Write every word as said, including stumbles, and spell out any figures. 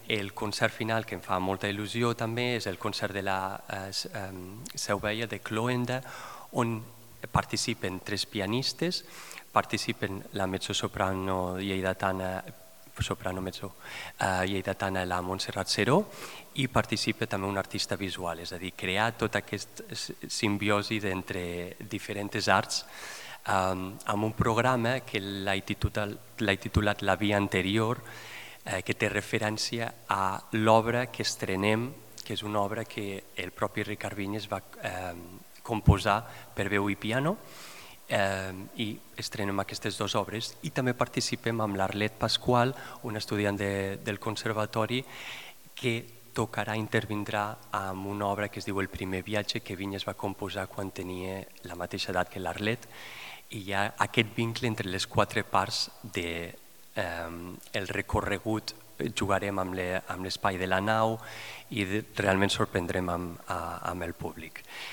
el concert final, que em fa molta il·lusió també, és el concert de la eh, Seu Vella de Cloenda, on participen tres pianistes, participen la mezzosoprano lleidatana, soprano mezzo eh, lleidatana, la Montserrat Seró, i participa també un artista visual, és a dir, crear tota aquesta simbiosi entre diferents arts um, amb un programa que l'he titulat, titulat La via anterior, eh, que té referència a l'obra que estrenem, que és una obra que el propi Ricard Vinyes va eh, composar per veu i piano, eh, i estrenem aquestes dues obres, i també participem amb l'Arlet Pasqual, un estudiant de, del conservatori, que tocarà, intervindrà amb una obra que es diu El primer viatge, que Vinyes va composar quan tenia la mateixa edat que l'Arlet, i hi ha aquest vincle entre les quatre parts del de, eh, recorregut. Jugarem amb l'espai de la nau i realment sorprendrem amb, amb el públic.